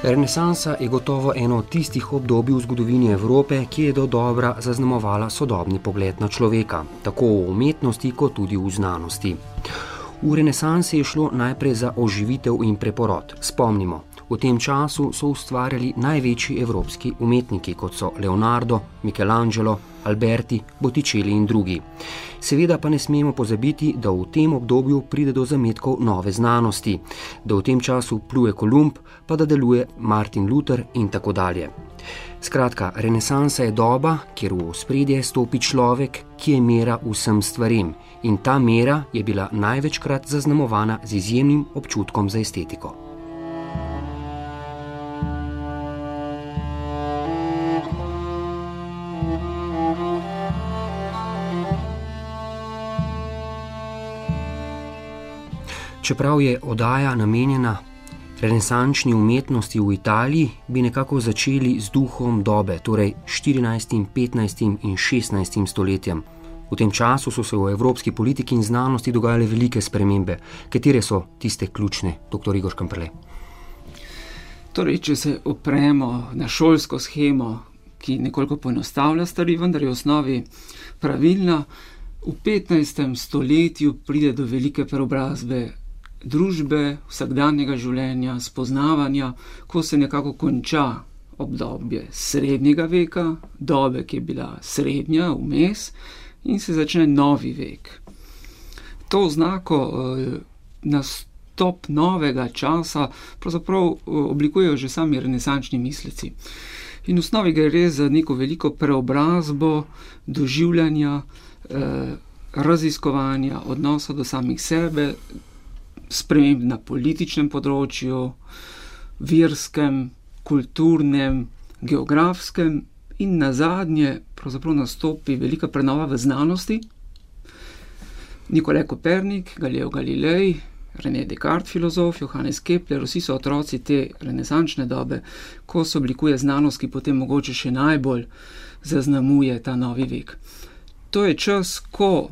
Renesansa je gotovo eno od tistih obdobij v zgodovini Evrope, ki je dodobra zaznamovala sodobni pogled na človeka, tako v umetnosti kot tudi v znanosti. V renesansi je šlo najprej za oživitev in preporod. Spomnimo, v tem času so ustvarjali največji evropski umetniki, kot so Leonardo, Michelangelo, Alberti, Botticelli in drugi. Seveda pa ne smemo pozabiti, da v tem obdobju pride do zametkov nove znanosti, da v tem času pluje Kolumb, pa da deluje Martin Luther in tako dalje. Skratka, renesansa je doba, kjer v ospredje stopi človek, ki je mera vsem stvarem, in ta mera je bila največkrat zaznamovana z izjemnim občutkom za estetiko. Čeprav je oddaja namenjena renesančni umetnosti v Italiji, bi nekako začeli z duhom dobe, torej 14., 15. in 16. stoletjem. V tem času so se v evropski politiki in znanosti dogajale velike spremembe. Katere so tiste ključne, dr. Igor Škamperle? Torej, če se opremo na šolsko shemo, ki nekoliko poenostavlja stvari, vendar je v osnovi pravilna, v 15. stoletju pride do velike preobrazbe družbe, vsakdanjega življenja, spoznavanja, ko se nekako konča obdobje srednjega veka, dobe, ki je bila srednja, vmes, in se začne novi vek. To oznako nastop novega časa pravzaprav oblikujejo že sami renesančni misleci. In v osnovi gre res za neko veliko preobrazbo doživljanja, raziskovanja, odnosa do samih sebe, sprememb na političnem področju, verskem, kulturnem, geografskem in nazadnje pravzaprav nastopi velika prenova v znanosti. Nikolaj Kopernik, Galileo Galilei, René Descartes, filozof, Johannes Kepler, vsi so otroci te renesančne dobe, ko se oblikuje znanost, ki potem mogoče še najbolj zaznamuje ta novi vek. To je čas, ko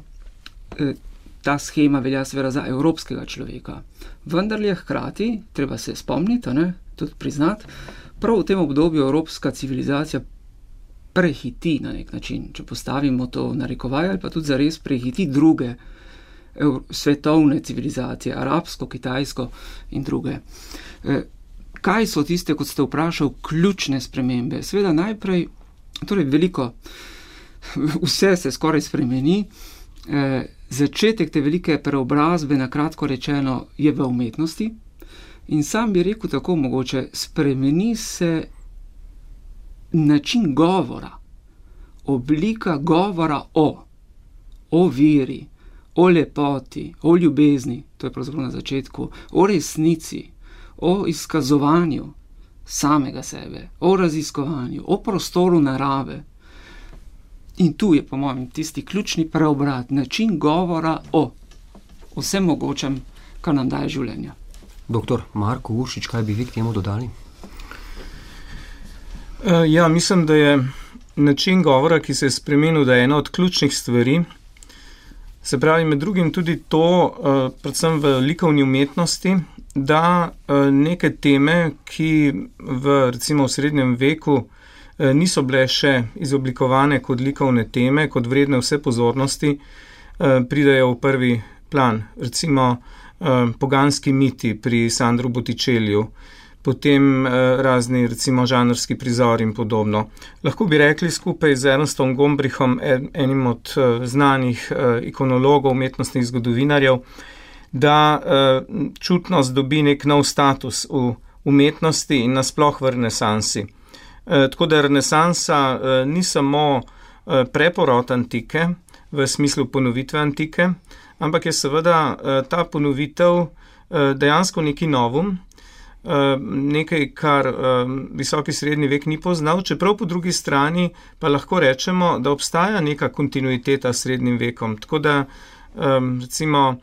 ta shema velja seveda za evropskega človeka. Vendar je hkrati, treba se spomniti, tudi priznati, prav v tem obdobju evropska civilizacija prehiti na nek način, če postavimo to narekovaj, ali pa tudi zares prehiti druge svetovne civilizacije, arabsko, kitajsko in druge. Kaj so tiste, kot ste vprašali, ključne spremembe? Seveda najprej, torej veliko, vse se skoraj spremeni, začetek te velike preobrazbe, na kratko rečeno, je v umetnosti in sam bi rekel tako mogoče, spremeni se način govora, oblika govora o veri, o lepoti, o ljubezni, to je pravzaprav na začetku, o resnici, o izkazovanju samega sebe, o raziskovanju, o prostoru narave. In tu je, po mojem, tisti ključni preobrat, način govora o vsem mogočem, kar nam daje življenja. Doktor Marko Uršič, kaj bi vi k temu dodali? Ja, mislim, da je način govora, ki se je spremenil, da je ena od ključnih stvari. Se pravi, med drugim tudi to, predvsem v likovni umetnosti, da neke teme, ki recimo v srednjem veku niso bile še izoblikovane kot likovne teme, kot vredne vse pozornosti, pridejo v prvi plan. Recimo poganski miti pri Sandru Botticelliju, potem razni recimo žanrski prizori in podobno. Lahko bi rekli skupaj z Ernstom Gombrichom, enim od znanih ikonologov, umetnostnih zgodovinarjev, da čutnost dobi nek nov status v umetnosti in nasploh v renesansi. Tako da renesansa ni samo preporod antike, v smislu ponovitve antike, ampak je seveda ta ponovitev dejansko neki novum, nekaj, kar visoki srednji vek ni poznal, čeprav po drugi strani pa lahko rečemo, da obstaja neka kontinuiteta s srednjim vekom. Tako da recimo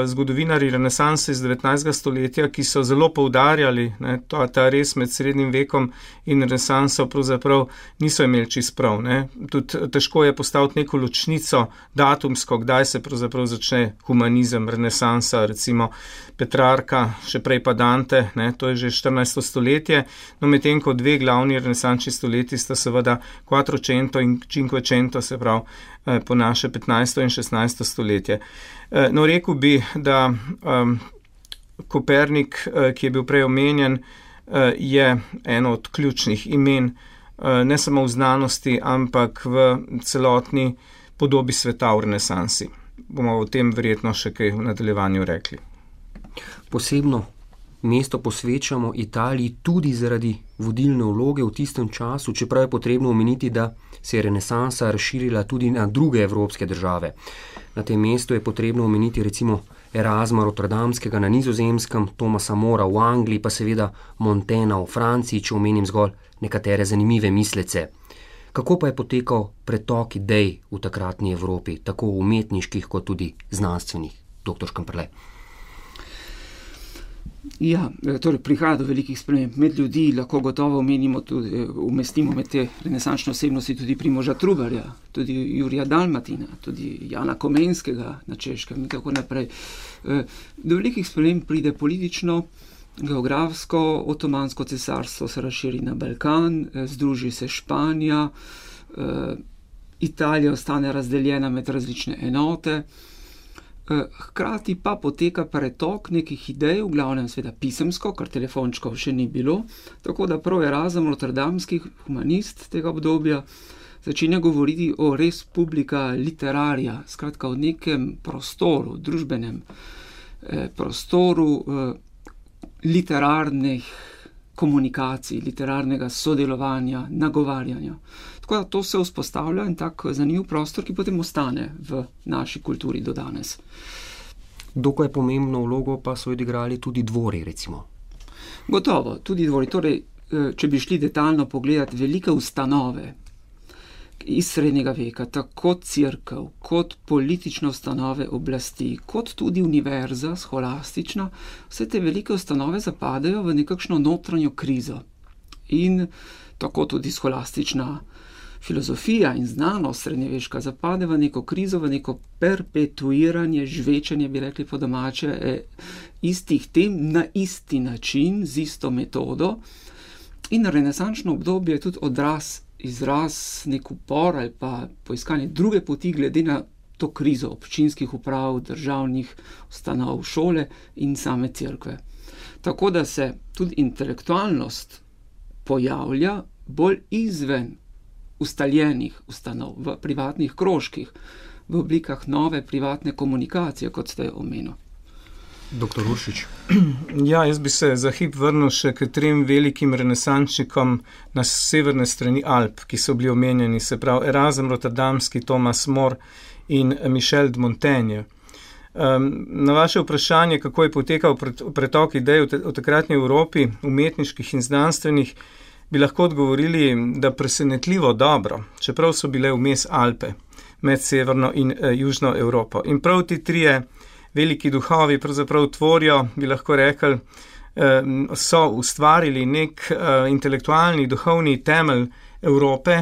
zgodovinari renesanse iz 19. stoletja, ki so zelo poudarjali, ta res med srednjim vekom in renesanso pravzaprav niso imeli čist prav. Tudi težko je postaviti neko ločnico datumsko, kdaj se pravzaprav začne humanizem, renesansa, recimo Petrarka, še prej pa Dante, to je že 14. stoletje, no medtem ko dve glavni renesančni stoletji sta seveda Quattrocento in Cinquecento, se pravi po naše 15. in 16. stoletje. No, rekel bi, da Kopernik, ki je bil prej omenjen, je eno od ključnih imen, ne samo v znanosti, ampak v celotni podobi sveta v renesansi. Bomo o tem verjetno še kaj v nadaljevanju rekli. Posebno mesto posvečamo Italiji tudi zaradi vodilne vloge v tistem času, čeprav je potrebno omeniti, da se je renesansa razširila tudi na druge evropske države. Na tem mestu je potrebno omeniti recimo Erasma Rotterdamskega na Nizozemskem, Thomasa Mora v Angliji, pa seveda Montaigna v Franciji, če omenim zgolj nekatere zanimive mislece. Kako pa je potekal pretok idej v takratni Evropi, tako umetniških kot tudi znanstvenih, dr. Škamperle? Ja, torej prihaja do velikih sprememb med ljudi, lahko gotovo umestimo med te renesančne osebnosti tudi Primoža Trubarja, tudi Jurija Dalmatina, tudi Jana Komenskega na Češkem in tako naprej. Do velikih sprememb pride politično, geografsko, Otomansko cesarstvo se razširi na Balkan, združi se Španija, Italija ostane razdeljena med različne enote. Hkrati pa poteka pretok nekih idej, v glavnem sveda pisemsko, kar telefončkov še ni bilo, tako da prav Erasm Rotterdamski humanist tega obdobja začenja govoriti o res publica literaria, skratka o nekem prostoru, družbenem prostoru literarnih komunikacij, literarnega sodelovanja, nagovarjanja. Tako da to se vzpostavlja in tak zanimiv prostor, ki potem ostane v naši kulturi do danes. Dokaj pomembno vlogo pa so odigrali tudi dvori, recimo. Gotovo, tudi dvori. Torej, če bi šli detaljno pogledati velike ustanove iz srednjega veka, tako cerkev, kot politične ustanove oblasti, kot tudi univerza, scholastična, vse te velike ustanove zapadajo v nekakšno notranjo krizo. In tako tudi scholastična filozofija in znanost srednjeveška zapade v neko krizo, v neko perpetuiranje, žvečenje, bi rekli po domače, istih tem na isti način, z isto metodo. In renesančno obdobje je tudi izraz nek upor ali pa poiskanje druge poti glede na to krizo občinskih uprav, državnih ustanov, šole in same cerkve. Tako da se tudi intelektualnost pojavlja bolj izven ustaljenih ustanov, v privatnih krožkih, v oblikah nove privatne komunikacije, kot ste omenili. Dr. Uršič. Ja, jaz bi se za hip vrnil še k trem velikim renesančnikom na severne strani Alp, ki so bili omenjeni, se pravi Erasm Rotterdamski, Thomas More in Michel de Montaigne. Na vaše vprašanje, kako je potekal pretok idej v takratni Evropi, umetniških in znanstvenih, bi lahko odgovorili, da presenetljivo dobro, čeprav so bile vmes Alpe med severno in južno Evropo. In prav ti trije veliki duhovi pravzaprav tvorijo, bi lahko rekli, so ustvarili nek intelektualni, duhovni temelj Evrope,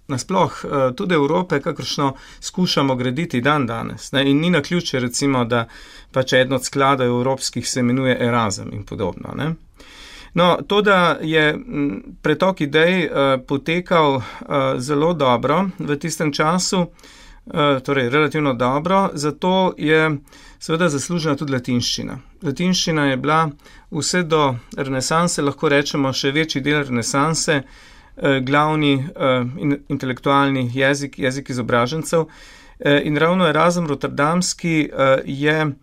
nasploh tudi Evrope, kakršno skušamo graditi dan danes. In ni naključje, recimo, da pač eden od skladov evropskih se imenuje Erasm in podobno. No, to, da je pretok idej potekal zelo dobro v tistem času, torej relativno dobro, zato je seveda zaslužena tudi latinščina. Latinščina je bila vse do renesanse, lahko rečemo še večji del renesanse, glavni intelektualni jezik izobražencev. In ravno Erasm Rotterdamski je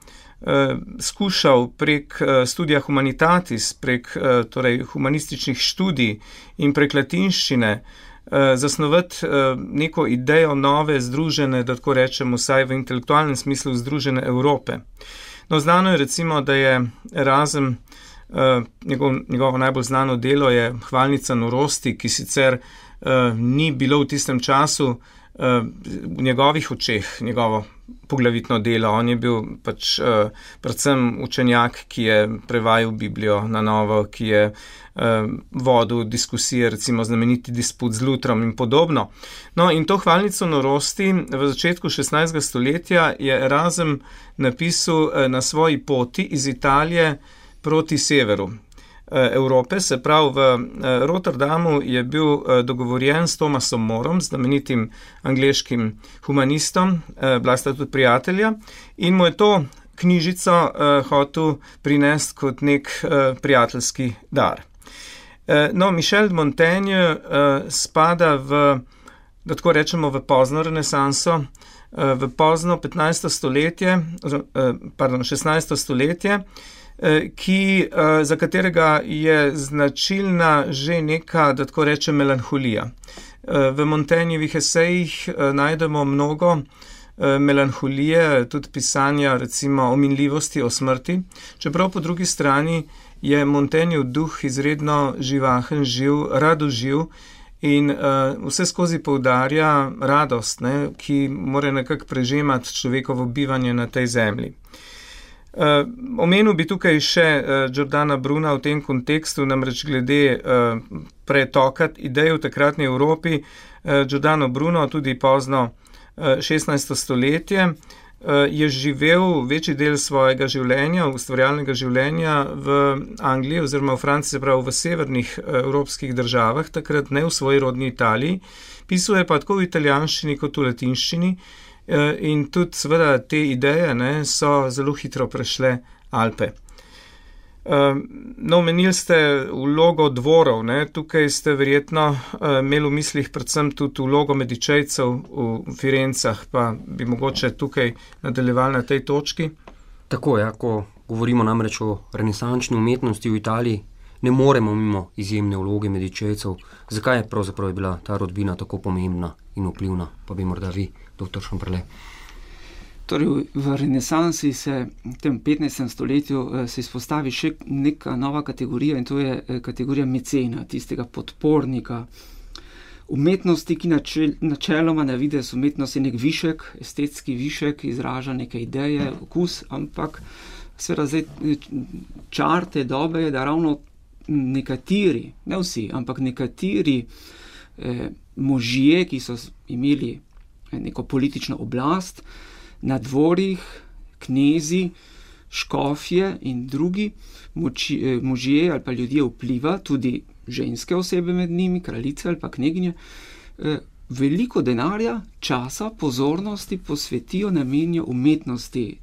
skušal prek studija humanitatis, prek torej humanističnih študij in prek latinščine zasnovati neko idejo nove, združene, da tako rečemo, vsaj v intelektualnem smislu združene Evrope. No, znano je recimo, da je Erasm, njegovo najbolj znano delo je Hvalnica norosti, ki sicer ni bilo v tistem času v njegovih očeh, njegovo poglavitno delo. On je bil pač predvsem učenjak, ki je prevajal Biblijo na novo, ki je vodil diskusije, recimo znameniti disput z Lutrom in podobno. No, in to hvalnico norosti v začetku 16. stoletja je Erasm napisal na svoji poti iz Italije proti severu Evrope, se pravi v Rotterdamu je bil dogovorjen s Thomasom Morom, znamenitim angleškim humanistom, bila sta tudi prijatelja, in mu je to knjižico hotel prinesti kot nek prijateljski dar. No, Michel de Montaigne spada v, da tako rečemo, v pozno renesanso, v pozno 16. stoletje, za katerega je značilna že neka, da tako rečem, melanholija. V Montaignovih esejih najdemo mnogo melanholije, tudi pisanja recimo o minljivosti, o smrti, čeprav po drugi strani je Montaignev duh izredno živahen, živ, radoživ in vse skozi poudarja radost, ne, ki mora nekako prežemati človekovo bivanje na tej zemlji. Omenil bi tukaj še Giordana Bruna v tem kontekstu, namreč glede pretoka idej v takratni Evropi. Giordano Bruno, tudi pozno 16. stoletje, je živel večji del svojega življenja, ustvarjalnega življenja v Angliji oziroma v Franciji, se pravi v severnih evropskih državah, takrat ne v svoji rodni Italiji. Pisal je pa tako v italijanščini kot v latinščini. In tudi seveda te ideje so zelo hitro prešle Alpe. No, omenili ste vlogo dvorov, tukaj ste verjetno imeli v mislih predvsem tudi vlogo Medičejcev v Firencah, pa bi mogoče tukaj nadaljevali na tej točki. Tako je, ko govorimo namreč o renesančni umetnosti v Italiji, ne moremo mimo izjemne vloge Medičejcev. Zakaj je pravzaprav bila ta rodbina tako pomembna in vplivna? Pa bi morda vi, dr. Šumperle. Torej, v renesansi se v tem 15. stoletju se izpostavi še neka nova kategorija in to je kategorija mecena, tistega podpornika umetnosti, ki načeloma na videz umetnost je nek višek, estetski višek, izraža neke ideje, okus, ampak seveda zdaj čar te dobe je, da ravno nekateri, ne vsi, ampak nekateri možje, ki so imeli neko politično oblast, na dvorih, knezi, škofje in drugi možje ali pa ljudje vpliva, tudi ženske osebe med njimi, kraljice ali pa kneginje, veliko denarja, časa, pozornosti posvetijo, namenijo umetnosti.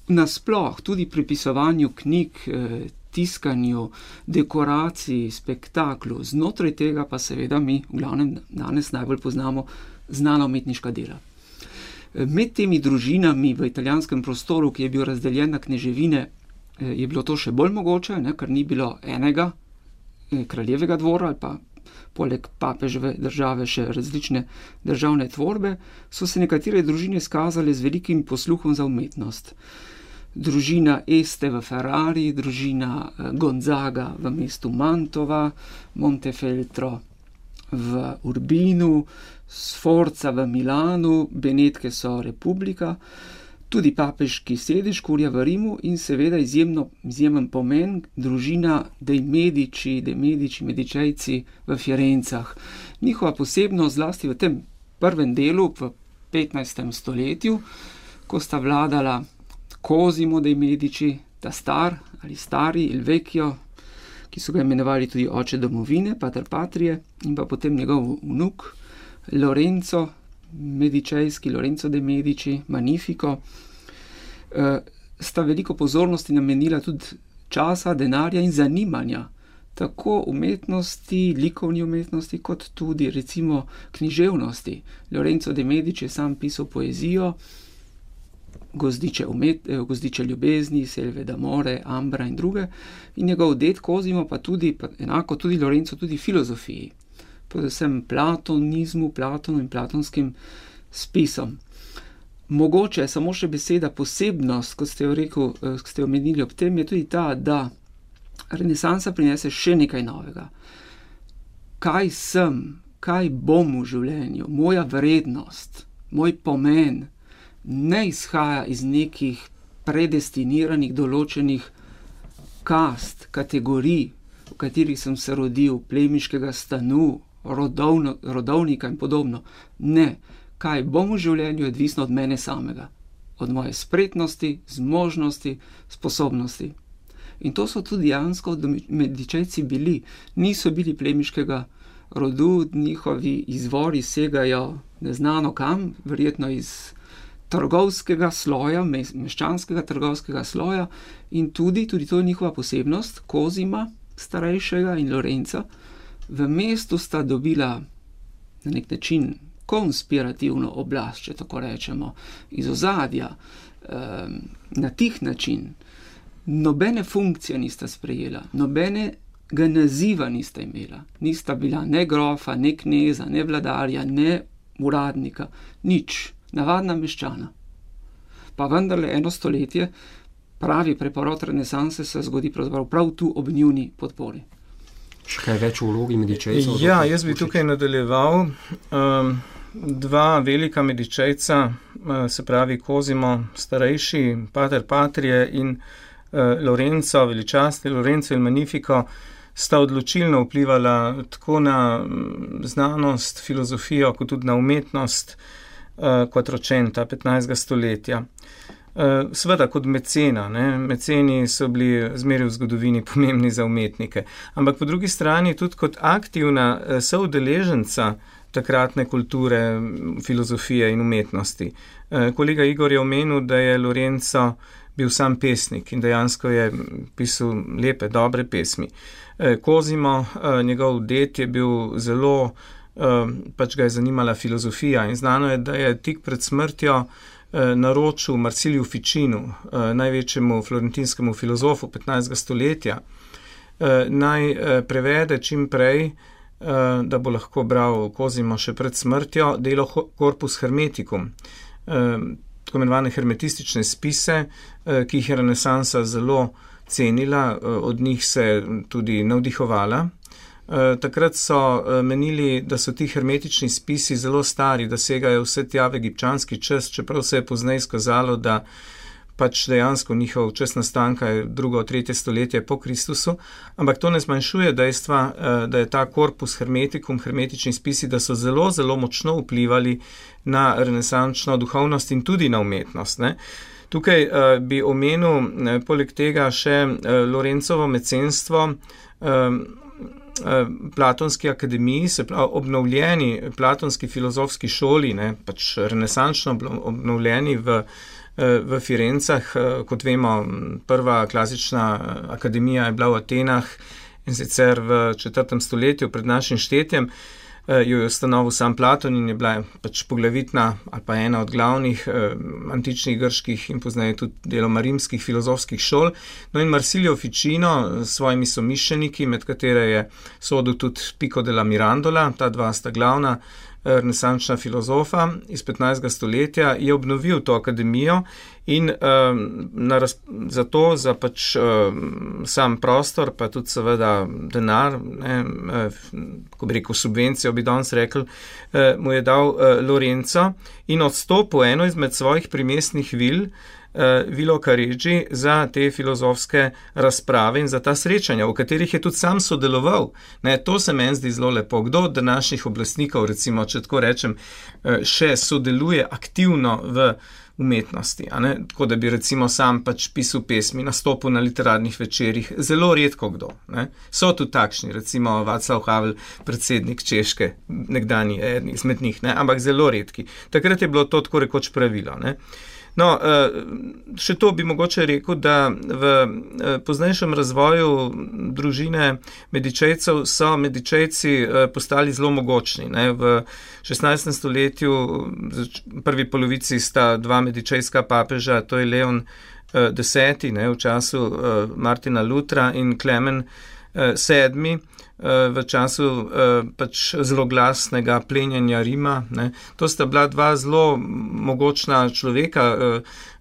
Nasploh, tudi pripisovanju knjig, tiskanju, dekoraciji, spektaklu, znotraj tega pa seveda mi v glavnem danes najbolj poznamo znana umetniška dela. Med temi družinami v italijanskem prostoru, ki je bil razdeljen na kneževine, je bilo to še bolj mogoče, ker ni bilo enega kraljevega dvora ali pa poleg papeževe države še različne državne tvorbe, so se nekatere družine skazale z velikim posluhom za umetnost. Družina Este v Ferrari, družina Gonzaga v mestu Mantova, Montefeltro v Urbinu, Sforza v Milanu, Benetke so Republika, tudi papežki sedež, kurja v Rimu in seveda izjemen pomen družina dei Medici, Medičejci v Firencah. Njihova posebnost zlasti v tem prvem delu, v 15. stoletju, ko sta vladala Cosimo dei Medici, ta stari Il Vecchio, ki so ga imenovali tudi oče domovine, pater patrie, in pa potem njegov vnuk Lorenzo Medičejski, Lorenzo de Medici, Magnifico, sta veliko pozornosti namenila tudi časa, denarja in zanimanja, tako umetnosti, likovni umetnosti, kot tudi recimo književnosti. Lorenzo de Medici je sam pisal poezijo, Gozdiče ljubezni, Selve d'amore, Ambra in druge, in njegov ded Cosimo pa tudi, enako tudi Lorenzo, tudi filozofiji, predvsem platonizmu, Platonu in platonskim spisom. Mogoče samo še beseda posebnost, kot ste omenili ob tem, je tudi ta, da renesansa prinese še nekaj novega. Kaj sem, kaj bom v življenju, moja vrednost, moj pomen, ne izhaja iz nekih predestiniranih določenih kast, kategorij, v katerih sem se rodil, plemiškega stanu, rodovnika in podobno. Ne, kaj bom v življenju, je odvisno od mene samega, od moje spretnosti, zmožnosti, sposobnosti. In to so tudi dejansko Medičejci bili. Niso bili plemiškega rodu, njihovi izvori segajo neznano kam, verjetno iz trgovskega sloja, meščanskega trgovskega sloja, in tudi to je njihova posebnost, Kozima starejšega in Lorenca, v mestu sta dobila na nek način konspirativno oblast, če tako rečemo, iz ozadja, na tih način. Nobene funkcije nista sprejela, nobenega naziva nista imela, nista bila ne grofa, ne kneza, ne vladarja, ne uradnika, nič, navadna meščana. Pa vendarle 1 stoletje, pravi preporod renesanse se zgodi prav tu ob njuni podpori. Še kaj več o vlogi Medičejcev? Ja, jaz bi tukaj nadaljeval. 2 velika Medičejca, se pravi Kozimo starejši, Pater Patrie in Lorenzo, veličastni Lorenzo il Magnifico, sta odločilno vplivala tako na znanost, filozofijo, kot tudi na umetnost Quattrocenta, 15. stoletja. Seveda kot mecena, meceni so bili zmeraj v zgodovini pomembni za umetnike, ampak po drugi strani tudi kot aktivna soudeleženca takratne kulture, filozofije in umetnosti. Kolega Igor je omenil, da je Lorenzo bil sam pesnik in dejansko je pisal lepe, dobre pesmi. Kozimo, njegov ded, je bil zelo, pač ga je zanimala filozofija in znano je, da je tik pred smrtjo naročil Marsiliju Ficinu, največjemu florentinskemu filozofu 15. stoletja, naj prevede čim prej, da bo lahko bral Kozimo še pred smrtjo, delo Corpus Hermeticum, tako imenovane hermetistične spise, ki jih je renesansa zelo cenila, od njih se tudi navdihovala. Takrat so menili, da so ti hermetični spisi zelo stari, da segajo vse tja v egipčanski čas, čeprav se je pozneje izkazalo, da pač dejansko njihov čas nastanka je 2. 3. stoletje po Kristusu, ampak to ne zmanjšuje dejstva, da je ta Corpus Hermeticum, hermetični spisi, da so zelo, zelo močno vplivali na renesančno duhovnost in tudi na umetnost, ne. Tukaj bi omenil poleg tega še Lorencovo mecenstvo Platonski akademiji, se pravi obnovljeni platonski filozofski šoli, ne, pač renesančno obnovljeni v Firencah. Kot vemo, prva klasična akademija je bila v Atenah in sicer v 4. stoletju pred našim štetjem. Jo je ustanovil sam Platon in je bila pač poglavitna ali pa ena od glavnih antičnih grških in pozneje tudi deloma rimskih filozofskih šol. No in Marsilio Ficino s svojimi somišljeniki, med katere je sodil tudi Pico della Mirandola, ta 2 sta glavna renesančna filozofa iz 15. stoletja, je obnovil to akademijo in za pač sam prostor, pa tudi seveda denar, ko bi rekel subvencijo, bi danes rekel, mu je dal Lorenzo in odstopil eno izmed svojih primestnih vil, Vilo Careggi, za te filozofske razprave in za ta srečanja, v katerih je tudi sam sodeloval. Ne, to se meni zdi zelo lepo. Kdo od današnjih oblastnikov, recimo, če tako rečem, še sodeluje aktivno v umetnosti, a ne? Tako da bi recimo sam pač pisal pesmi, nastopil na literarnih večerih, zelo redko kdo, ne? So tudi takšni, recimo Václav Havel, predsednik Češke, nekdanji izmed njih, ne? Ampak zelo redki. Takrat je bilo to tako rekoč pravilo, ne? No, še to bi mogoče rekel, da v poznejšem razvoju družine Medičejcev so Medičejci postali zelo mogočni, ne. V 16. stoletju, v prvi polovici sta 2 medičejska papeža, to je Leon X, ne, v času Martina Lutra, in Klemen VII, v času pač zelo glasnega plenjenja Rima, ne. To sta bila 2 zelo mogočna človeka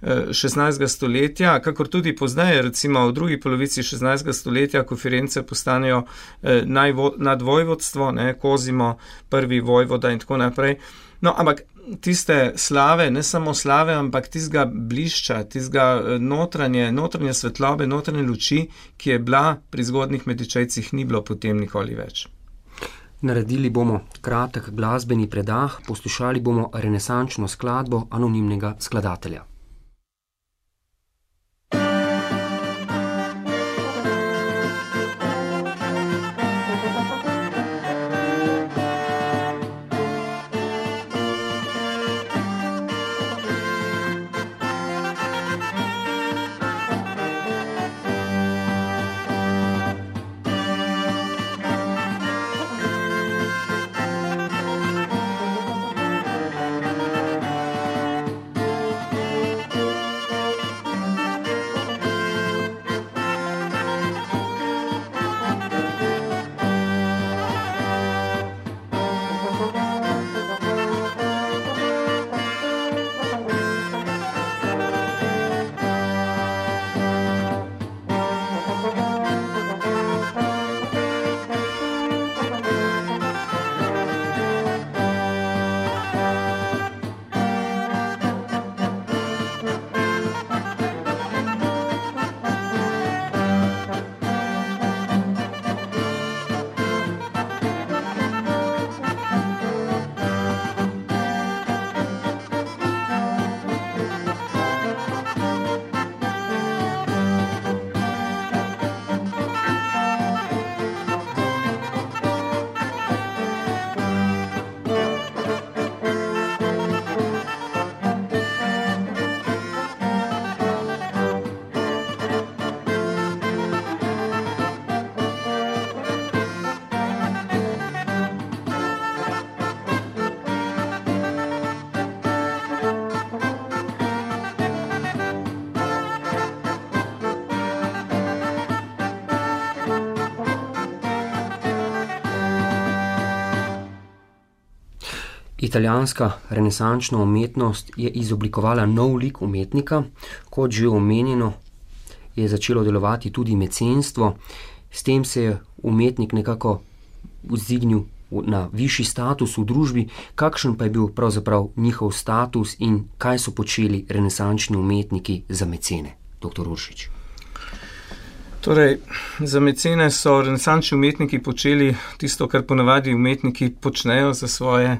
16. stoletja, kakor tudi pozneje, recimo v drugi polovici 16. stoletja, ko Firence postanejo nadvojvodstvo, ne, Kozimo, prvi vojvoda in tako naprej. No, ampak tiste slave, ne samo slave, ampak tistega blišča, tistega notranje svetlobe, notranje luči, ki je bila pri zgodnjih Medičejcih, ni bilo potem nikoli več. Naredili bomo kratek glasbeni predah, poslušali bomo renesančno skladbo anonimnega skladatelja. Italijanska renesančna umetnost je izoblikovala nov lik umetnika, kot že omenjeno je začelo delovati tudi mecenstvo, s tem se je umetnik nekako vzdignil na višji status v družbi. Kakšen pa je bil pravzaprav njihov status in kaj so počeli renesančni umetniki za mecene, dr. Uršič? Torej, za mecene so renesančni umetniki počeli tisto, kar ponavadi umetniki počnejo za svoje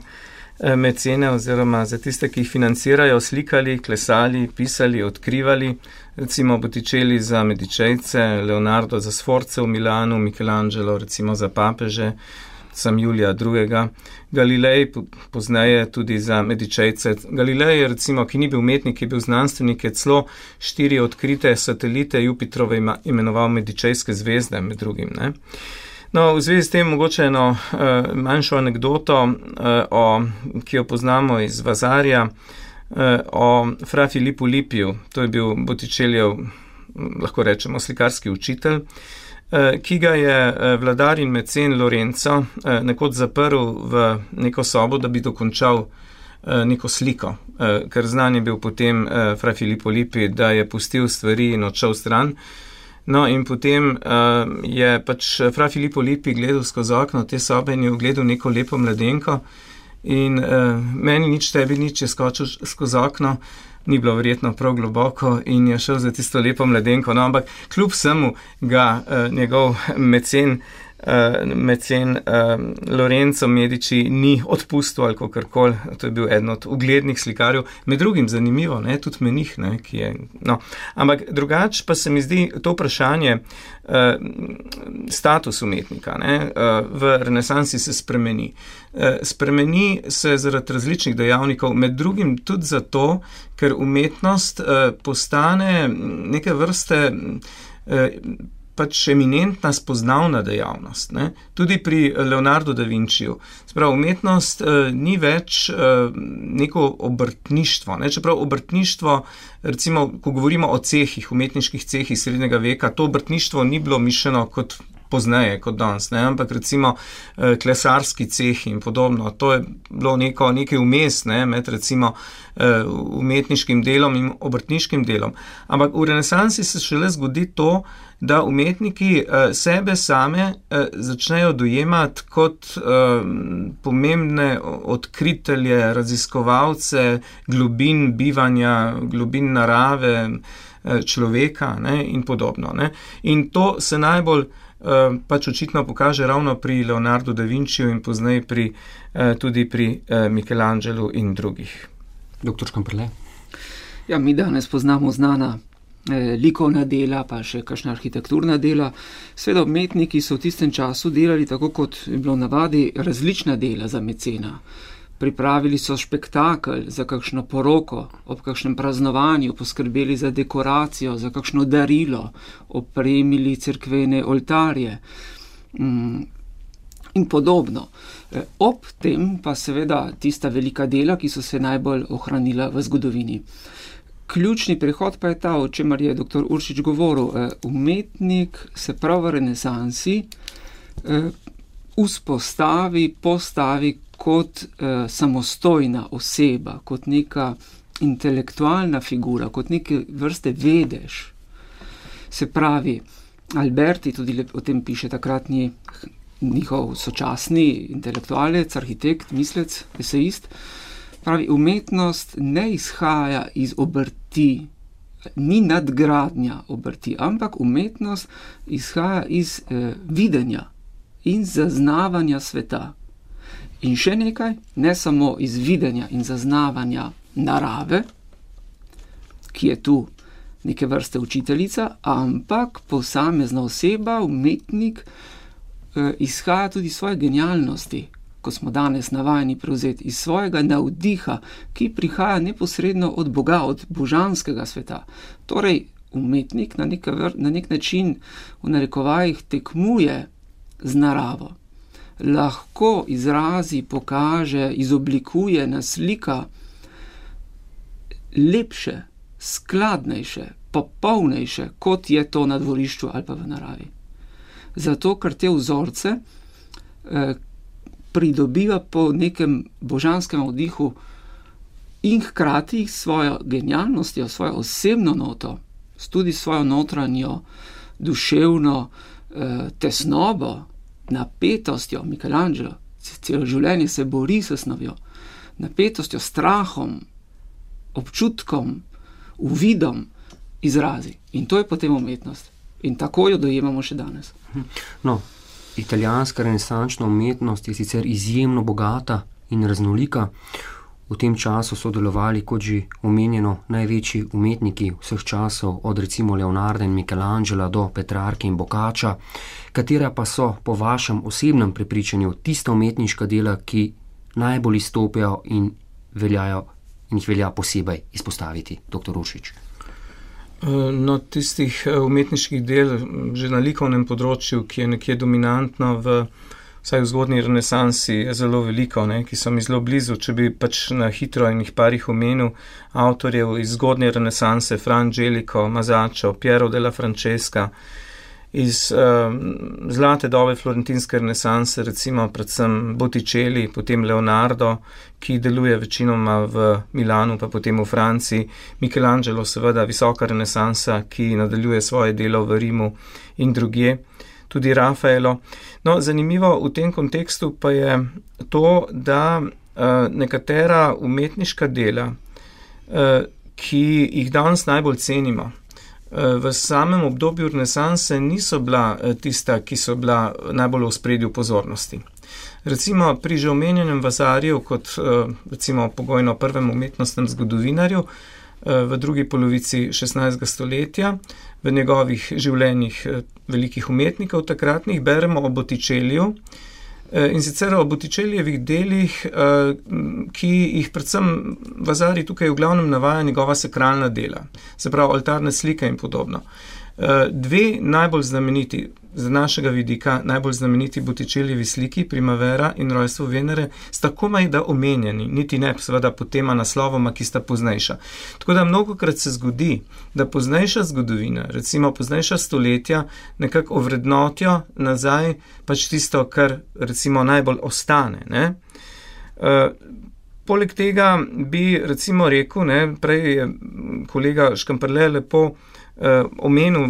mecene oziroma za tiste, ki jih financirajo, slikali, klesali, pisali, odkrivali, recimo Botticelli za Medičejce, Leonardo za Sforce v Milanu, Michelangelo recimo za papeže, sam Julija II. Galilej pozneje tudi za Medičejce. Galilej, recimo, ki ni bil umetnik, je bil znanstvenik, je celo 4 odkrite satelite Jupiterove imenoval Medičejske zvezde, med drugim, ne. No, v zvezi s tem mogoče eno manjšo anekdoto, ki jo poznamo iz Vasarja, o fra Filippu Lipiju. To je bil Botticellijev, lahko rečemo, slikarski učitelj, ki ga je vladar in mecen Lorenzo nekoč zaprl v neko sobo, da bi dokončal neko sliko, ker znan je bil potem fra Filippo Lippi, da je pustil stvari in odšel stran. No, in potem je pač fra Filippo Lippi gledal skozi okno te sobe in je ugledal neko lepo mladenko in meni nič, tebi nič, je skočil skozi okno, ni bilo verjetno prav globoko in je šel za tisto lepo mladenko. No, ampak kljub vsemu ga njegov mecen Lorenzo Medici ni odpustil ali kakorkoli. To je bil eden od uglednih slikarjev, med drugim zanimivo, ne, tudi menih, ne, ki je, no. Ampak drugače pa se mi zdi to vprašanje status umetnika, ne, v renesansi se spremeni. Spremeni se zaradi različnih dejavnikov, med drugim tudi zato, ker umetnost postane neke vrste pač eminentna spoznavna dejavnost, ne? Tudi pri Leonardu da Vinciju. Sprav, umetnost ni več neko obrtništvo, ne? Čeprav obrtništvo, recimo, ko govorimo o cehih, umetniških cehih srednjega veka, to obrtništvo ni bilo mišljeno kot pozneje kot danes, ne? Ampak recimo klesarski ceh in podobno, to je bilo nekaj vmes, ne? Med recimo umetniškim delom in obrtniškim delom. Ampak v renesansi se šele zgodi to, da umetniki sebe same začnejo dojemati kot pomembne odkritelje, raziskovalce globin bivanja, globin narave, človeka, ne, in podobno. Ne. In to se najbolj pač očitno pokaže ravno pri Leonardu da Vinciju in pozneje tudi pri Michelangelu in drugih. Dr. Škamperle? Ja, mi danes poznamo znana likovna dela, pa še kakšna arhitekturna dela. Seveda umetniki so v tistem času delali, tako kot je bilo navadi, različna dela za mecena. Pripravili so špektakel za kakšno poroko, ob kakšnem praznovanju, poskrbeli za dekoracijo, za kakšno darilo, opremili cerkvene oltarje in podobno. Ob tem pa seveda tista velika dela, ki so se najbolj ohranila v zgodovini. Ključni prehod pa je ta, o čemer je dr. Uršič govoril. Umetnik se prav v renesansi postavi kot samostojna oseba, kot neka intelektualna figura, kot neke vrste vedež. Se pravi, Alberti, tudi o tem piše takratni njihov sočasni intelektualec, arhitekt, mislec, esejist, pravi, umetnost ne izhaja iz obrti, ni nadgradnja obrti, ampak umetnost izhaja iz videnja in zaznavanja sveta. In še nekaj, ne samo iz videnja in zaznavanja narave, ki je tu neke vrste učiteljica, ampak posamezna oseba, umetnik, izhaja tudi svoje genialnosti, ko smo danes navajeni prevzeti, iz svojega navdiha, ki prihaja neposredno od Boga, od božanskega sveta. Torej, umetnik na nek način v narekovajih tekmuje z naravo. Lahko izrazi, pokaže, izoblikuje, naslika lepše, skladnejše, popolnejše, kot je to na dvorišču ali pa v naravi. Zato, ker te vzorce pridobiva po nekem božanskem vdihu in hkrati svojo genialnostjo, svojo osebno noto, tudi svojo notranjo, duševno tesnobo, napetostjo. Michelangelo celo življenje se bori s snovjo, napetostjo, strahom, občutkom, uvidom izrazi. In to je potem umetnost. In tako jo dojemamo še danes. No, italijanska renesančna umetnost je sicer izjemno bogata in raznolika. V tem času so delovali, kot že omenjeno, največji umetniki vseh časov, od recimo Leonarda in Michelangela do Petrarke in Boccaccia, katera pa so po vašem osebnem prepričanju tista umetniška dela, ki najbolj izstopajo in jih velja posebej izpostaviti, dr. Uršič? No, tistih umetniških del že na likovnem področju, ki je nekje dominantno vsaj v zgodnji renesansi, je zelo veliko, ne, ki so mi zelo blizu. Če bi pač na hitro in jih parih omenil avtorjev iz zgodnje renesanse, Fra Angelico, Masaccio, Piero della Francesca, iz zlate dobe florentinske renesanse, recimo predvsem Botticelli, potem Leonardo, ki deluje večinoma v Milanu, pa potem v Franciji, Michelangelo, seveda visoka renesansa, ki nadaljuje svoje delo v Rimu in drugje, tudi Rafaelo. No, zanimivo v tem kontekstu pa je to, da nekatera umetniška dela, ki jih danes najbolj cenimo, v samem obdobju renesanse niso bila tista, ki so bila najbolj v ospredju pozornosti. Recimo pri že omenjenem Vasariju kot recimo pogojno prvem umetnostnem zgodovinarju v drugi polovici 16. stoletja, v njegovih življenjih velikih umetnikov takratnih, beremo o Botticelliju, in sicer o Botticellejevih delih, ki jih predvsem Vasari tukaj v glavnem navaja njegova sakralna dela, se pravi oltarne slike in podobno. Dve najbolj znameniti, z našega vidika najbolj znameniti Botticellijevi sliki Primavera in rojstvo Venere sta komaj da omenjeni, niti ne seveda po tema naslovoma, ki sta poznejša. Tako da mnogokrat se zgodi, da poznejša zgodovina, recimo poznejša stoletja, nekako ovrednotijo nazaj pač tisto, kar recimo najbolj ostane, ne. Poleg tega bi recimo rekel, ne, prej je kolega Škamperle lepo omenil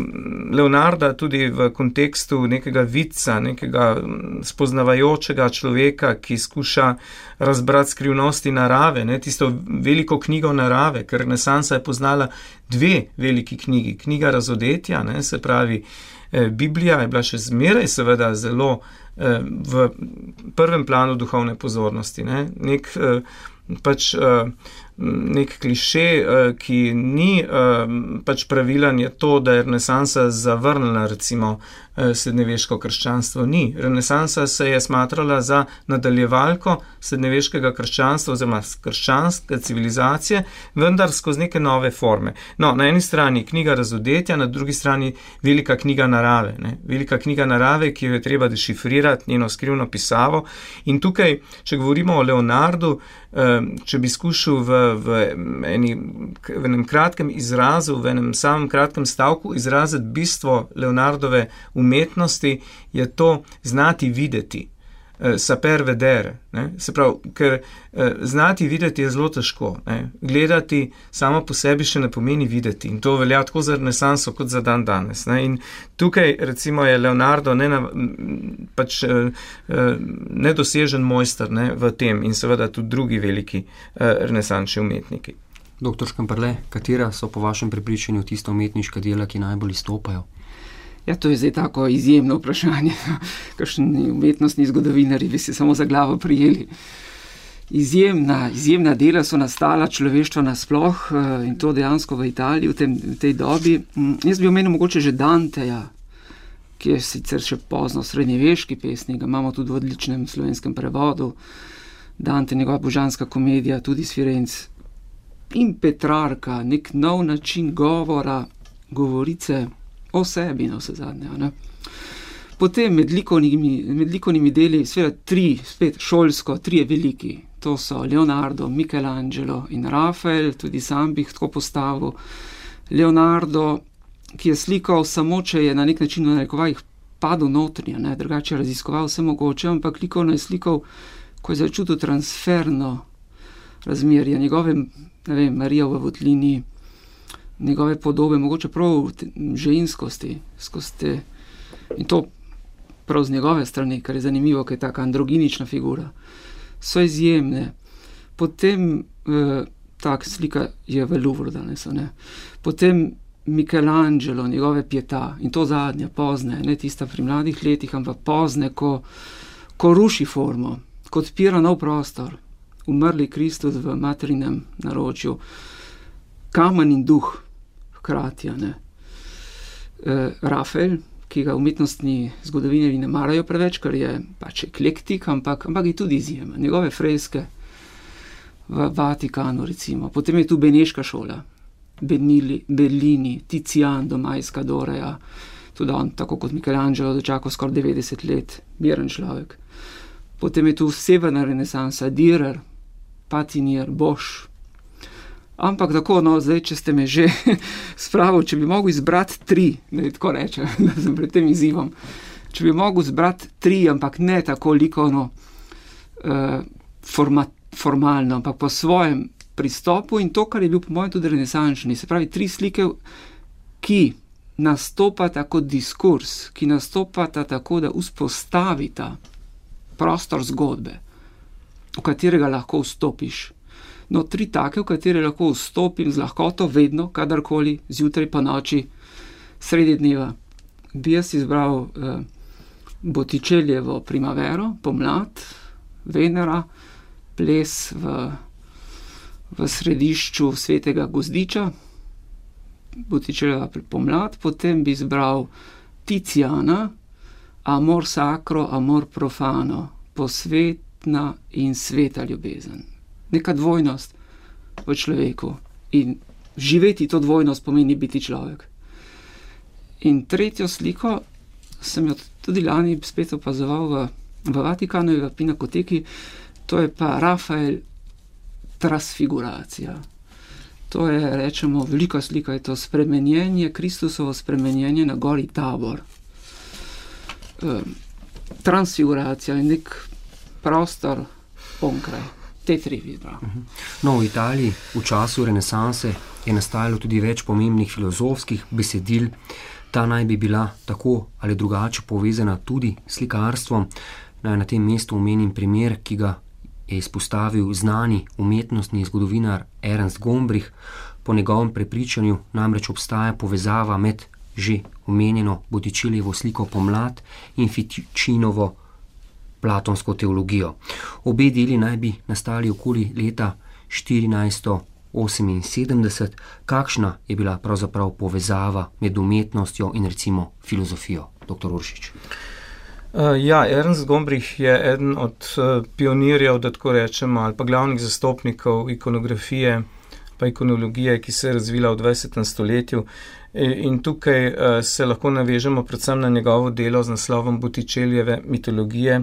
Leonarda tudi v kontekstu nekega vidca, nekega spoznavajočega človeka, ki skuša razbrati skrivnosti narave, ne, tisto veliko knjigo narave, ker renesansa je poznala dve veliki knjigi. Knjiga razodetja, ne, se pravi Biblija je bila še zmeraj seveda zelo v prvem planu duhovne pozornosti, ne, nek kliše, ki ni pač pravilen, je to, da je renesansa zavrnila recimo srednjeveško krščanstvo. Ni. Renesansa se je smatrala za nadaljevalko srednjeveškega krščanstva oziroma krščanske civilizacije, vendar skozi neke nove forme. No, na eni strani knjiga razodetja, na drugi strani velika knjiga narave. Ne? Velika knjiga narave, ki jo je treba dešifrirati, njeno skrivno pisavo. In tukaj, če govorimo o Leonardu, če bi skušal v enem kratkem izrazu, v enem samem kratkem stavku izraziti bistvo Leonardove umetnosti, je to znati videti, saper vedere. Ne? Se pravi, ker znati videti je zelo težko. Ne? Gledati samo po sebi še ne pomeni videti. In to velja tako za renesanso kot za dan danes. Ne? In tukaj recimo je Leonardo nedosežen mojster, ne, v tem in seveda tudi drugi veliki renesančni umetniki. Dr. Škamperle, katera so po vašem prepričanju tista umetniška dela, ki najbolj izstopajo? Ja, to je zdaj tako izjemno vprašanje. Kakšni umetnostni zgodovinarji bi se samo za glavo prijeli. Izjemna dela so nastala človeštva nasploh in to dejansko v Italiji v tej dobi. Jaz bi omenil mogoče že Danteja, ki je sicer še pozno srednjeveški pesnik, ga imamo tudi v odličnem slovenskem prevodu. Dante, njegova božanska komedija, tudi iz Firenc. In Petrarka, nek nov način govora, govorice o sebi, na vse zadnje. Ne? Potem med likovnimi deli, seveda spet šolsko, trije veliki. To so Leonardo, Michelangelo in Rafael, tudi sam bi jih tako postavil. Leonardo, ki je slikal samo, če je na nek način v narekovajih padel notranje, ne, drugače raziskoval vse mogoče, ampak likovno je slikal, ko je začutil transferno razmerje, njegove, ne vem, Marija v votlini, njegove podobe, mogoče prav ženskosti, in to prav z njegove strani, kar je zanimivo, ker je taka androginična figura, so izjemne. Potem, tak slika je v Louvru danes, ne. Potem Michelangelo, njegove Pietà, in to zadnja, pozne, ne tista pri mladih letih, ampak pozne, ko ruši formo, ko odpira nov prostor, umrli Kristus v materinem naročju, kamen in duh hkrati, ne. Rafael, ki ga umetnostni zgodovinarji ne marajo preveč, ker je pač eklektik, ampak je tudi izjemen. Njegove freske v Vatikanu, recimo. Potem je tu Beneška šola, Bellini, Tizian, Domajska Doreja, tudi on, tako kot Michelangelo, dočakal skoraj 90 let, miren človek. Potem je tu severna renesansa, Dürer, Patinier, Bosch. Ampak tako, no, zdaj, če ste me že spravili, če bi mogel izbrati 3, da je tako reče, da sem pred tem izzivom, če bi mogel izbrati 3, ampak ne tako likovno formalno, ampak po svojem pristopu in to, kar je bil po mojem tudi renesančni, se pravi 3 slike, ki nastopata kot diskurs, ki nastopata tako, da vzpostavita prostor zgodbe, v katerega lahko vstopiš. No, 3 take, v katere lahko vstopim z lahkoto, vedno, kadarkoli, zjutraj pa noči, sredi dneva. Bi jaz izbral Botticellijevo Primavero, pomlad, Venera, ples v središču Svetega Gozdiča, Botticellijeva pomlad, potem bi izbral Tiziana, Amor sacro, amor profano, posvetna in sveta ljubezen. Neka dvojnost v človeku in živeti to dvojnost pomeni biti človek. In tretjo sliko sem jo tudi lani spet opazoval v Vatikanu, v Pinakoteki, to je pa Rafael Transfiguracija. To je, rečemo, velika slika, je to spremenjenje, Kristusovo spremenjenje na gori Tabor. Transfiguracija je nek prostor onkraj. Te tri vidva. No, v Italiji v času renesanse je nastajalo tudi več pomembnih filozofskih besedil. Ta naj bi bila tako ali drugače povezana tudi s slikarstvom. Naj na tem mestu omenim primer, ki ga je izpostavil znani umetnostni zgodovinar Ernst Gombrich. Po njegovem prepričanju namreč obstaja povezava med že omenjeno Botticellijevo sliko Pomlad in Ficinovo platonsko teologijo. Obe deli naj bi nastali okoli leta 1478. Kakšna je bila pravzaprav povezava med umetnostjo in recimo filozofijo, dr. Uršič? Ernst Gombrich je eden od pionirjev, da tako rečemo, ali pa glavnih zastopnikov ikonografije pa ikonologije, ki se je razvila v 20. stoletju. In tukaj se lahko navežemo predvsem na njegovo delo z naslovom Botticellijeve mitologije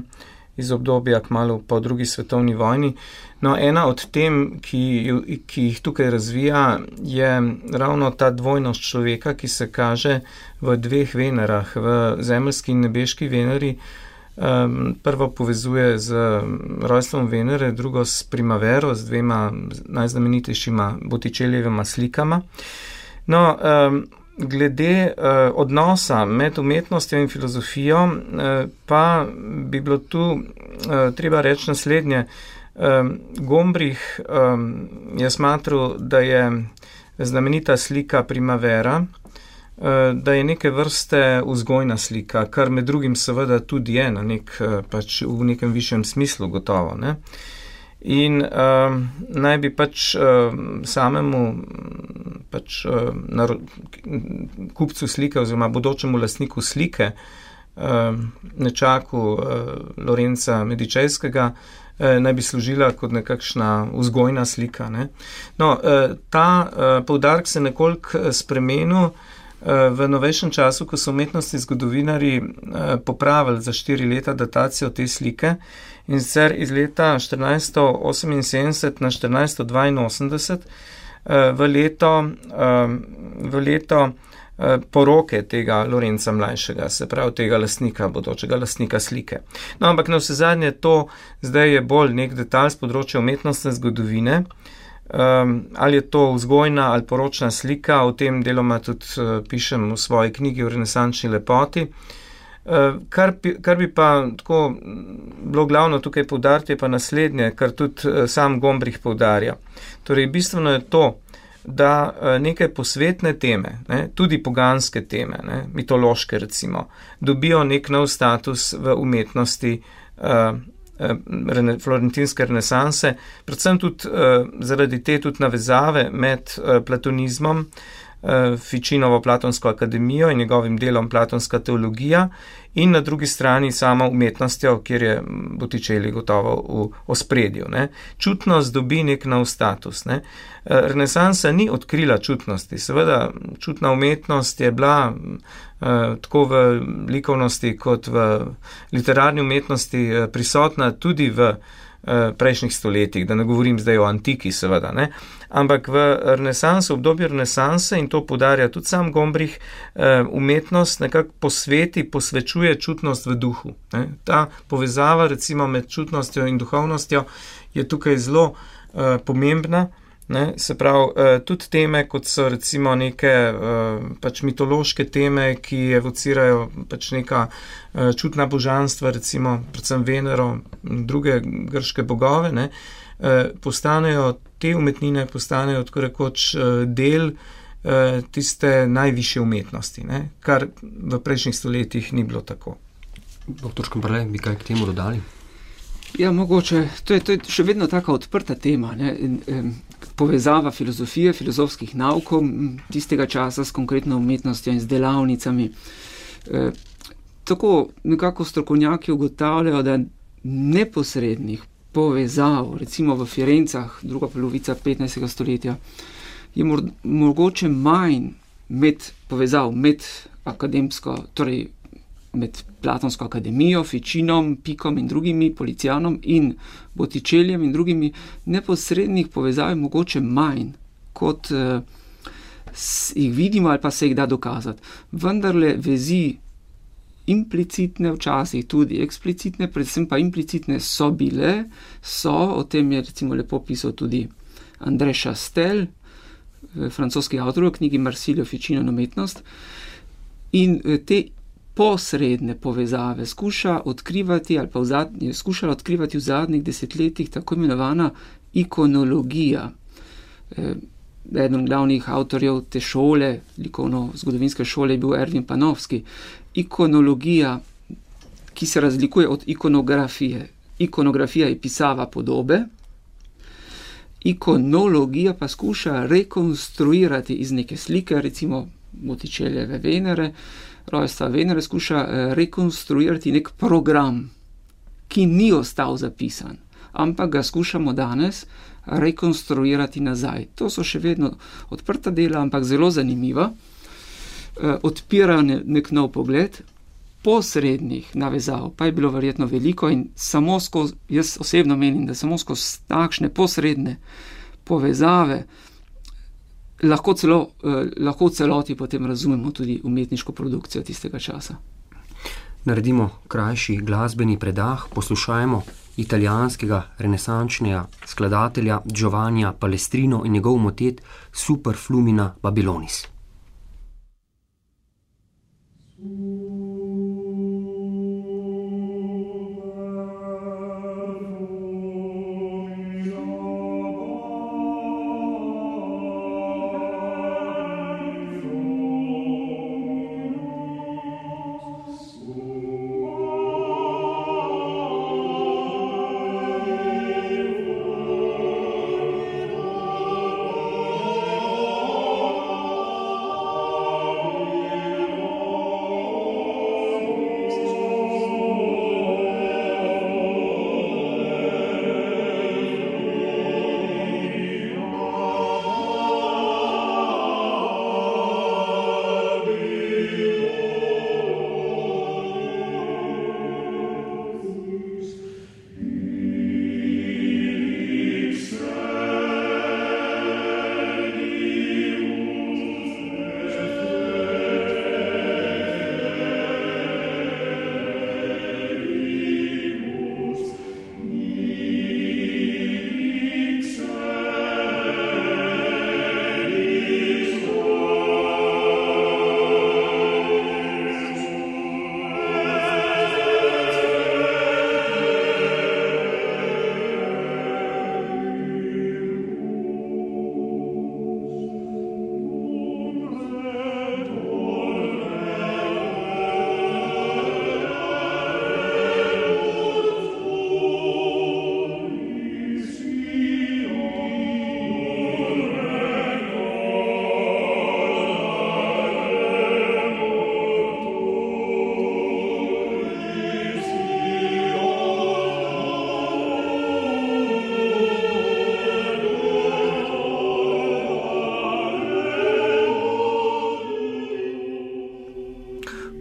iz obdobja kmalu po drugi svetovni vojni. No, ena od tem, ki jih tukaj razvija, je ravno ta dvojnost človeka, ki se kaže v dveh Venerah, v zemeljski in nebeški Veneri. Prvo povezuje z rojstvom Venere, drugo s Primavero, z dvema najznamenitejšima Botticellijevima slikama. No, glede odnosa med umetnostjo in filozofijo, pa bi bilo tu treba reči naslednje. Gombrich je smatral, da je znamenita slika Primavera, da je neke vrste vzgojna slika, kar med drugim seveda tudi je na v nekem višjem smislu gotovo, ne? In naj bi samemu kupcu slike oziroma bodočemu lastniku slike, nečaku Lorenza Medičejskega, naj bi služila kot nekakšna vzgojna slika, ne? No, ta poudarek se nekoliko spremenil v novejšem času, ko so umetnostni zgodovinarji popravili za 4 leta datacijo te slike, in sicer iz leta 1478 na 1482 v leto poroke tega Lorenza mlajšega, se pravi tega lastnika, bodočega lastnika slike. No, ampak navsezadnje to zdaj je bolj nek detalj z področja umetnostne zgodovine. Ali je to vzgojna ali poročna slika, o tem deloma tudi pišem v svoji knjigi o renesančni lepoti. Kar bi pa tako bilo glavno tukaj poudariti, je pa naslednje, kar tudi sam Gombrich poudarja. Torej, bistveno je to, da neke posvetne teme, ne, tudi poganske teme, ne, mitološke recimo, dobijo nek nov status v umetnosti florentinske renesanse, predvsem tudi zaradi te tudi navezave med platonizmom, Ficinovo Platonsko akademijo in njegovim delom Platonska teologija in na drugi strani samo umetnostjo, kjer je Botticelli gotovo v ospredju. Ne. Čutnost dobi nek nov status. Ne. Renesansa ni odkrila čutnosti. Seveda, čutna umetnost je bila tako v likovnosti kot v literarni umetnosti prisotna tudi v prejšnjih stoletjih, da ne govorim zdaj o antiki, seveda, ne. Ampak v renesansu, v obdobju renesanse, in to poudarja tudi sam Gombrich, umetnost nekako posvečuje čutnost v duhu. Ne. Ta povezava recimo med čutnostjo in duhovnostjo je tukaj zelo pomembna. Ne, se pravi, tudi teme, kot so recimo neke mitološke teme, ki evocirajo neka čutna božanstva, recimo predvsem Venero in druge grške bogove, ne, te umetnine postanejo tako rekoč del tiste najvišje umetnosti, ne, kar v prejšnjih stoletjih ni bilo tako. Dr. Škamperle, bi kaj k temu dodali? Ja, mogoče. To je še vedno taka odprta tema, ne? Povezava filozofije, filozofskih naukov tistega časa s konkretno umetnostjo in z delavnicami. Tako nekako strokovnjaki ugotavljajo, da neposrednih povezav, recimo v Firencah, druga polovica 15. stoletja, je mogoče manj povezav med akademsko, torej med Platonsko akademijo, Ficinom, Pikom in drugimi, Policianom in Botticellijem in drugimi, neposrednih povezav je mogoče manj, kot jih vidimo ali pa se jih da dokazati. Vendarle vezi implicitne, včasih tudi eksplicitne, predvsem pa implicitne so bile, o tem je recimo lepo pisal tudi André Chastel, francoski avtor v knjigi Marsilio, Ficino in umetnost, in te posredne povezave skuša odkrivati ali pa je skušala odkrivati v zadnjih desetletjih tako imenovana ikonologija. Eden glavnih avtorjev te šole, likovno-zgodovinske šole, je bil Ervin Panofski. Ikonologija, ki se razlikuje od ikonografije. Ikonografija je pisava podobe, ikonologija pa skuša rekonstruirati iz neke slike, recimo Botticellijeve Venere, rojstva Venere, skuša rekonstruirati nek program, ki ni ostal zapisan, ampak ga skušamo danes rekonstruirati nazaj. To so še vedno odprta dela, ampak zelo zanimiva. Odpirajo nek nov pogled, posrednih navezav pa je bilo verjetno veliko in samo skozi, jaz osebno menim, da samo skozi takšne posredne povezave lahko v celoti potem razumemo tudi umetniško produkcijo tistega časa. Naredimo krajši glasbeni predah, poslušajmo italijanskega renesančnega skladatelja Giovannija Palestrino in njegov motet Super Flumina Babylonis.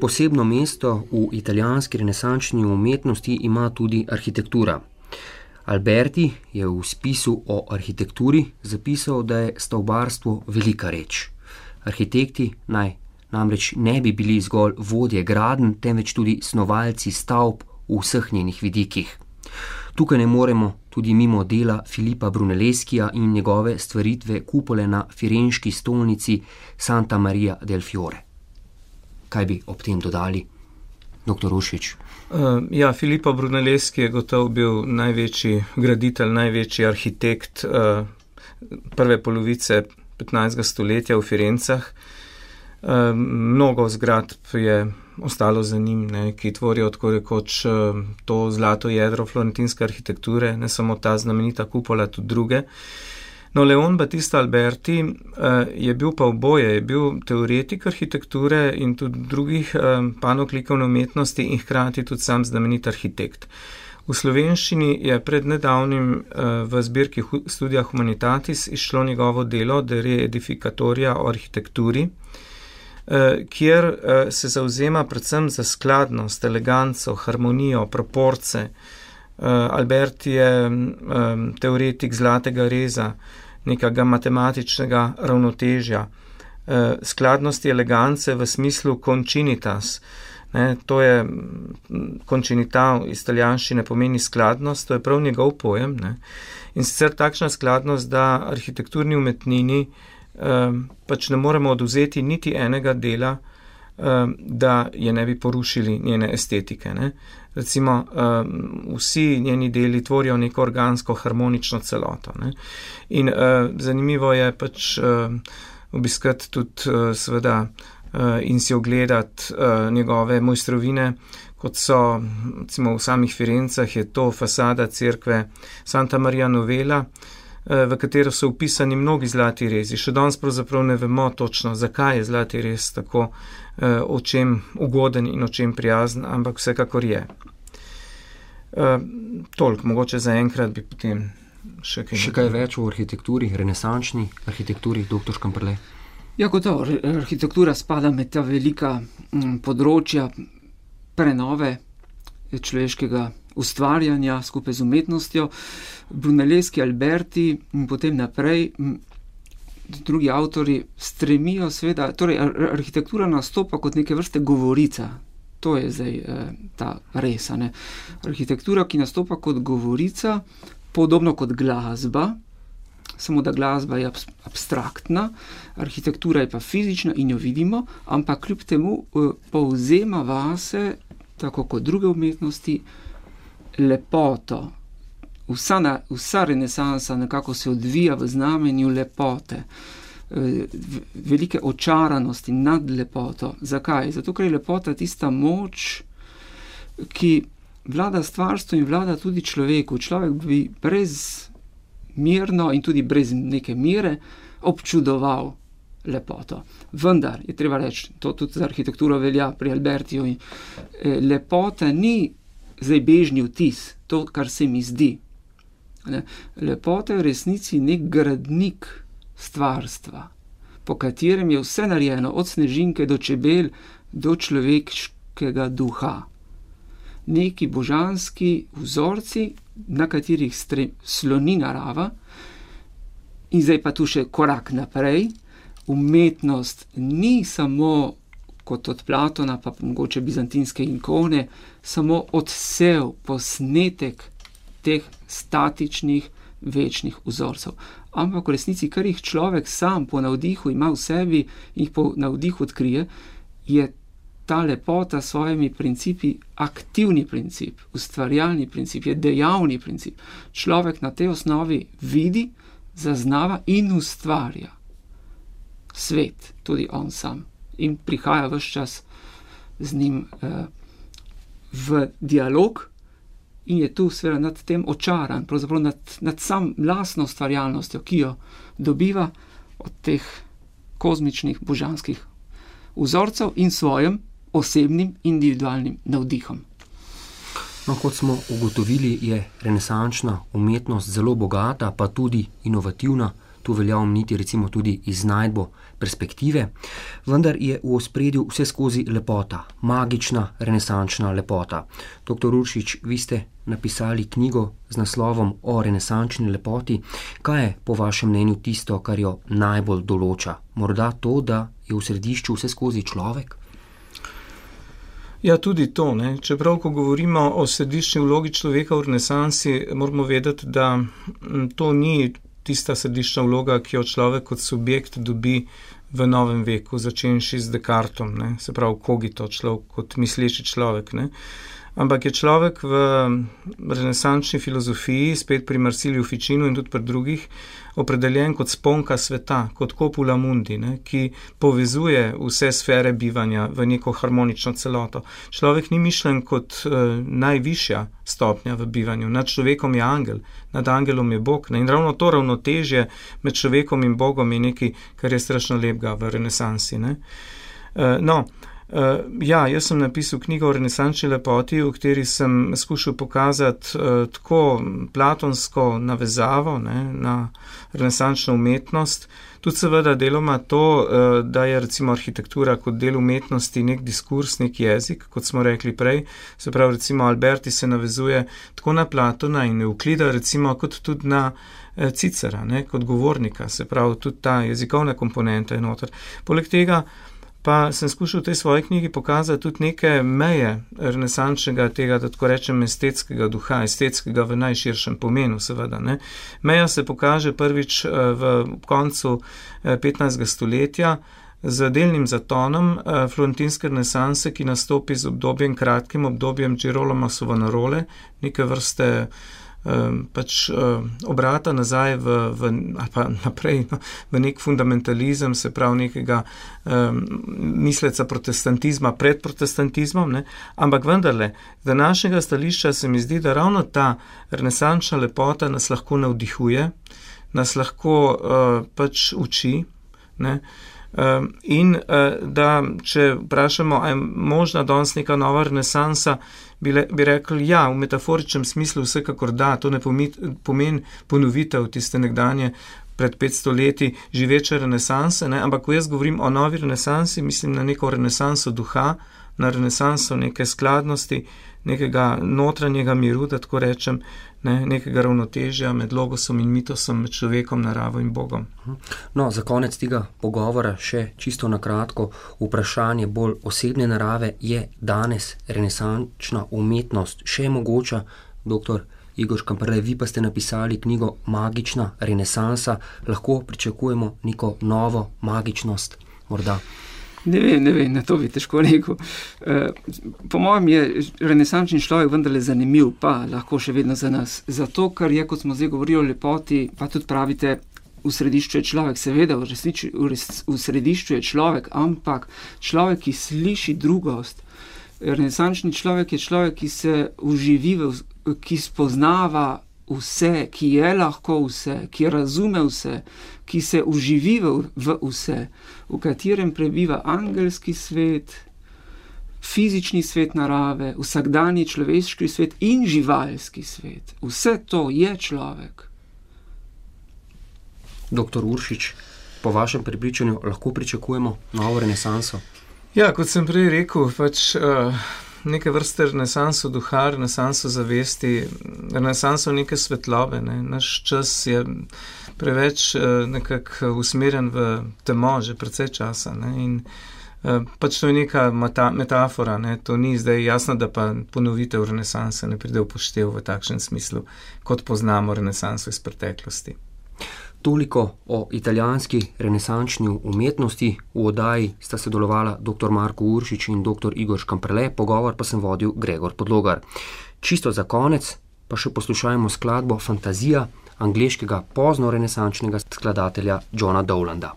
Posebno mesto v italijanski renesančni umetnosti ima tudi arhitektura. Alberti je v spisu o arhitekturi zapisal, da je stavbarstvo velika reč. Arhitekti namreč ne bi bili zgolj vodje gradenj, temveč tudi snovalci stavb v vseh njenih vidikih. Tukaj ne moremo tudi mimo dela Filipa Brunelleskija in njegove stvaritve kupole na firenški stolnici Santa Maria del Fiore. Kaj bi ob tem dodali, dr. Rušič? Filippo Brunelleschi je gotovo bil največji graditelj, največji arhitekt prve polovice 15. stoletja v Firencah. Mnogo zgradb je ostalo za njim, ki tvorijo tako rekoč to zlato jedro florentinske arhitekture, ne samo ta znamenita kupola, tudi druge. No, Leon Battista Alberti je bil pa oboje, je bil teoretik arhitekture in tudi drugih panog likovne umetnosti in hkrati tudi sam znamenit arhitekt. V slovenščini je pred nedavnim v zbirki Studia Humanitatis izšlo njegovo delo De Re Edificatoria o arhitekturi. kjer se zavzema predvsem za skladnost, eleganco, harmonijo, proporce. Albert je teoretik zlatega reza, nekega matematičnega ravnotežja, skladnosti, elegance v smislu concinitas. To je concinital iz italijanščine pomeni skladnost, to je prav njegov pojem. In sicer takšna skladnost, da arhitekturni umetnini pač ne moremo odvzeti niti enega dela, da je ne bi porušili njene estetike. Recimo, vsi njeni deli tvorijo neko organsko, harmonično celoto. In zanimivo je pač obiskati tudi seveda in si ogledati njegove mojstrovine, kot so recimo v samih Firencah je to fasada cerkve Santa Maria Novella, v katero so upisani mnogi zlati rezi. Še danes pravzaprav ne vemo točno, zakaj je zlati rez tako očem ugoden in očem prijazen, ampak vsekakor je. Toliko, mogoče za enkrat bi potem še kaj več o arhitekturi, renesančni arhitekturi, dr. Škamperle. Ja, gotovo, arhitektura spada med ta velika področja prenove človeškega ustvarjanja skupaj z umetnostjo. Brunelleschi, Alberti in potem naprej drugi avtori stremijo seveda, torej arhitektura nastopa kot neke vrste govorica. To je zdaj ta res, ne. Arhitektura, ki nastopa kot govorica, podobno kot glasba, samo da glasba je abstraktna, arhitektura je pa fizična in jo vidimo, ampak kljub temu povzema vase, tako kot druge umetnosti, lepoto. Vsa renesansa nekako se odvija v znamenju lepote, velike očaranosti nad lepoto. Zakaj? Zato, ker je lepota tista moč, ki vlada stvarstvu in vlada tudi človeku. Človek bi brezmerno in tudi brez neke mere občudoval lepoto. Vendar je treba reči, to tudi za arhitekturo velja pri Albertiju, lepota ni zdaj bežni vtis, to, kar se mi zdi. Lepota je v resnici nek gradnik stvarstva, po katerem je vse narejeno, od snežinke do čebel, do človeškega duha. Neki božanski vzorci, na katerih sloni narava, in zdaj pa tu še korak naprej. Umetnost ni samo, kot od Platona, pa mogoče bizantinske ikone, samo odsev, posnetek teh statičnih, večnih vzorcev. Ampak v resnici, kar jih človek sam po navdihu ima v sebi in jih po navdihu odkrije, je ta lepota s svojimi principi aktivni princip, ustvarjalni princip, je dejavni princip. Človek na tej osnovi vidi, zaznava in ustvarja svet, tudi on sam. In prihaja ves čas z njim v dialog in je tu seveda nad tem očaran, pravzaprav nad sam lastno ustvarjalnostjo, ki jo dobiva od teh kozmičnih, božanskih vzorcev in svojim osebnim, individualnim navdihom. No, kot smo ugotovili, je renesančna umetnost zelo bogata, pa tudi inovativna. Tu velja omeniti recimo tudi iznajdbo perspektive, vendar je v ospredju vse skozi lepota, magična renesančna lepota. Dr. Uršič, vi ste napisali knjigo z naslovom o renesančni lepoti. Kaj je po vašem mnenju tisto, kar jo najbolj določa? Morda to, da je v središču vse skozi človek? Ja, tudi to. Čeprav, ko govorimo o središčni vlogi človeka v renesansi, moramo vedeti, da to ni tista središčna vloga, ki jo človek kot subjekt dobi v novem veku, začenši z Descartom, se pravi cogito, človek kot misleči človek. Ampak je človek v renesančni filozofiji, spet pri Marsiliju Ficinu in tudi pri drugih, opredeljen kot sponka sveta, kot copula mundi, ki povezuje vse sfere bivanja v neko harmonično celoto. Človek ni mišljen kot najvišja stopnja v bivanju. Nad človekom je angel, nad angelom je Bog. In ravno to ravnotežje med človekom in Bogom je nekaj, kar je strašno lepega v renesansi. Jaz sem napisal knjigo o renesančni lepoti, v kateri sem skušal pokazati tako platonsko navezavo, ne, na renesančno umetnost. Tudi seveda deloma to, da je recimo arhitektura kot del umetnosti nek diskurs, nek jezik, kot smo rekli prej. Se pravi, recimo Alberti se navezuje tako na Platona in Euklida, recimo kot tudi na Cicera, ne, kot govornika. Se pravi, tudi ta jezikovna komponenta je noter. Poleg tega pa sem skušal v tej svoji knjigi pokazati tudi neke meje renesančnega tega, da tako rečem, estetskega duha, estetskega v najširšem pomenu, seveda. Ne. Meja se pokaže prvič v koncu 15. stoletja z delnim zatonom florentinske renesanse, ki nastopi z obdobjem, kratkim obdobjem Girolama Savonarole, neke vrste obrata nazaj ali pa naprej v nek fundamentalizem, se pravi nekega misleca protestantizma pred protestantizmom, ne? Ampak vendarle, z današnjega stališča se mi zdi, da ravno ta renesančna lepota nas lahko navdihuje, nas lahko uči, ne? In da, če vprašamo, a je možna danes neka nova renesansa, bi rekli, ja, v metaforičnem smislu vsekakor da, to ne pomeni ponovitev tiste nekdanje pred 500 leti živeče renesanse, ne? Ampak ko jaz govorim o novi renesansi, mislim na neko renesanso duha, na renesanso neke skladnosti, nekega notranjega miru, da tako rečem, ne, nekega ravnotežja med logosom in mitosom, med človekom, naravo in Bogom. No, za konec tega pogovora še čisto na kratko vprašanje bolj osebne narave. Je danes renesančna umetnost še mogoča? Dr. Igor Škamperle, vi pa ste napisali knjigo Magična renesansa. Lahko pričakujemo neko novo magičnost morda? Ne vem, na to bi težko rekel. Po mojem je renesančni človek vendarle zanimiv, pa lahko še vedno za nas. Zato, ker je, kot smo zdaj govorili o lepoti, pa tudi pravite, v središču je človek, seveda, v središču je človek, ampak človek, ki sliši drugost. Renesančni človek je človek, ki se uživi, ki spoznava vse, ki je lahko vse, ki razume vse, ki se uživi v vse, v katerem prebiva angelski svet, fizični svet narave, vsakdanji človeški svet in živalski svet. Vse to je človek. Doktor Uršič, po vašem prepričanju lahko pričakujemo novo renesanso? Ja, kot sem prej rekel, neke vrste renesanso duha, renesanso zavesti, renesanso neke svetlobe. Ne. Naš čas je preveč nekako usmerjen v temo že precej časa. Ne. In to je neka metafora. Ne. To ni zdaj jasno, da pa ponovitev renesanse ne pride v poštev v takšnem smislu, kot poznamo renesanso iz preteklosti. Toliko o italijanski renesančni umetnosti. V oddaji sta sodelovala dr. Marko Uršič in dr. Igor Škamperle, pogovor pa sem vodil Gregor Podlogar. Čisto za konec pa še poslušajmo skladbo Fantazija angleškega pozno renesančnega skladatelja Johna Dowlanda.